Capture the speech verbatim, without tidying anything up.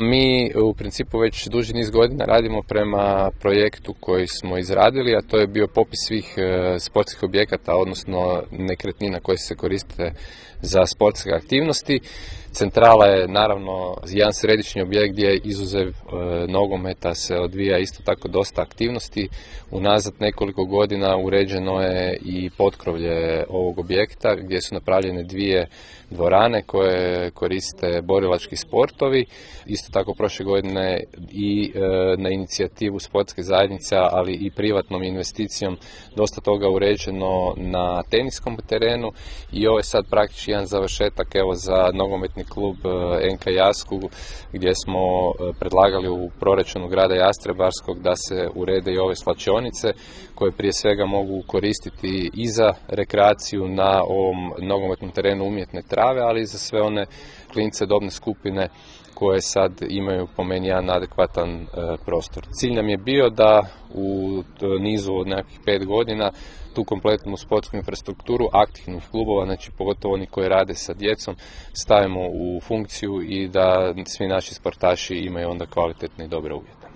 Mi u principu već duži niz godina radimo prema projektu koji smo izradili, a to je bio popis svih sportskih objekata, odnosno nekretnina koje se koriste za sportske aktivnosti. Centrala je naravno jedan središnji objekt gdje izuzev e, nogometa se odvija isto tako dosta aktivnosti. Unazad nekoliko godina uređeno je i potkrovlje ovog objekta gdje su napravljene dvije dvorane koje koriste borilački sportovi. Isto tako prošle godine i e, na inicijativu sportske zajednice, ali i privatnom investicijom dosta toga uređeno na teniskom terenu i ovo je sad praktički jedan završetak evo za nogometni klub N K Jasku gdje smo predlagali u proračunu grada Jastrebarskog da se urede i ove svlačionice koje prije svega mogu koristiti i za rekreaciju na ovom nogometnom terenu umjetne trave, ali i za sve one klince dobne skupine koje sad imaju po meni jedan adekvatan e, prostor. Cilj nam je bio da u nizu od nekakvih pet godina tu kompletnu sportsku infrastrukturu aktivnih klubova, znači pogotovo oni koji rade sa djecom, stavimo u funkciju i da svi naši sportaši imaju onda kvalitetne i dobre uvjete.